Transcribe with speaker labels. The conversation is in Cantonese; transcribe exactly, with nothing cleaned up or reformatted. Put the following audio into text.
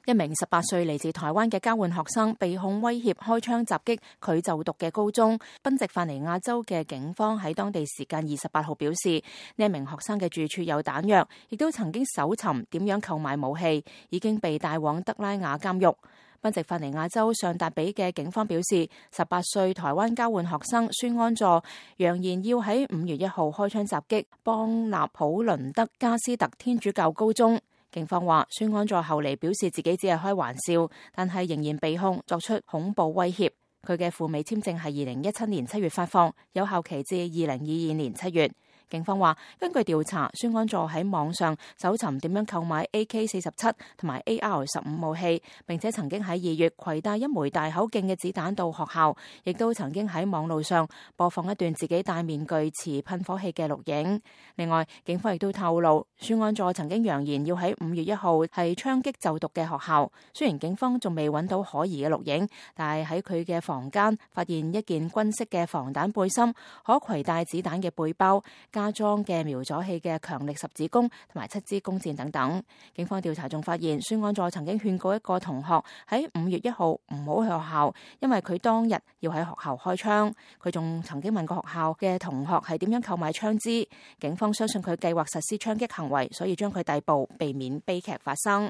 Speaker 1: 一名十八歲嚟自台灣嘅交換學生被控威脅開槍襲擊佢就讀嘅高中。賓夕法尼亞州嘅警方喺當地時間二十八號表示，呢一名學生嘅住處有彈藥，亦都曾經搜尋點樣購買武器，已經被帶往德拉瓦監獄。賓夕法尼亞州尚達比嘅警方表示，十八歲台灣交換學生孫安佐揚言要喺五月一號開槍襲擊邦納普倫德加斯特天主教高中。警方話，孫安佐後嚟表示自己只係開玩笑，但係仍然被控作出恐怖威脅。佢嘅赴美簽證係二零一七年七月發放，有效期至二零二二年七月。警方話，根據調查，孫安佐喺網上搜尋點樣購買 A K 四十七同埋 A R 十五武器，並且曾經喺二月攜帶一枚大口徑嘅子彈到學校，亦都曾經喺網路上播放一段自己戴面具持噴火器嘅錄影。另外，警方亦都透露，孫安佐曾經揚言要喺五月一號係槍擊就讀嘅學校。雖然警方仲未揾到可疑嘅錄影，但係喺佢嘅房間發現一件軍式嘅防彈背心、可攜帶子彈嘅背包、加裝嘅瞄左器嘅強力十字弓同埋七支弓箭等等。警方調查仲發現，孫安佐曾經勸告一個同學喺五月一號唔好去學校，因為佢當日要喺學校開槍。佢仲曾經問過學校嘅同學係點樣購買槍支。警方相信佢計劃實施槍擊行為，所以將佢逮捕，避免悲劇發生。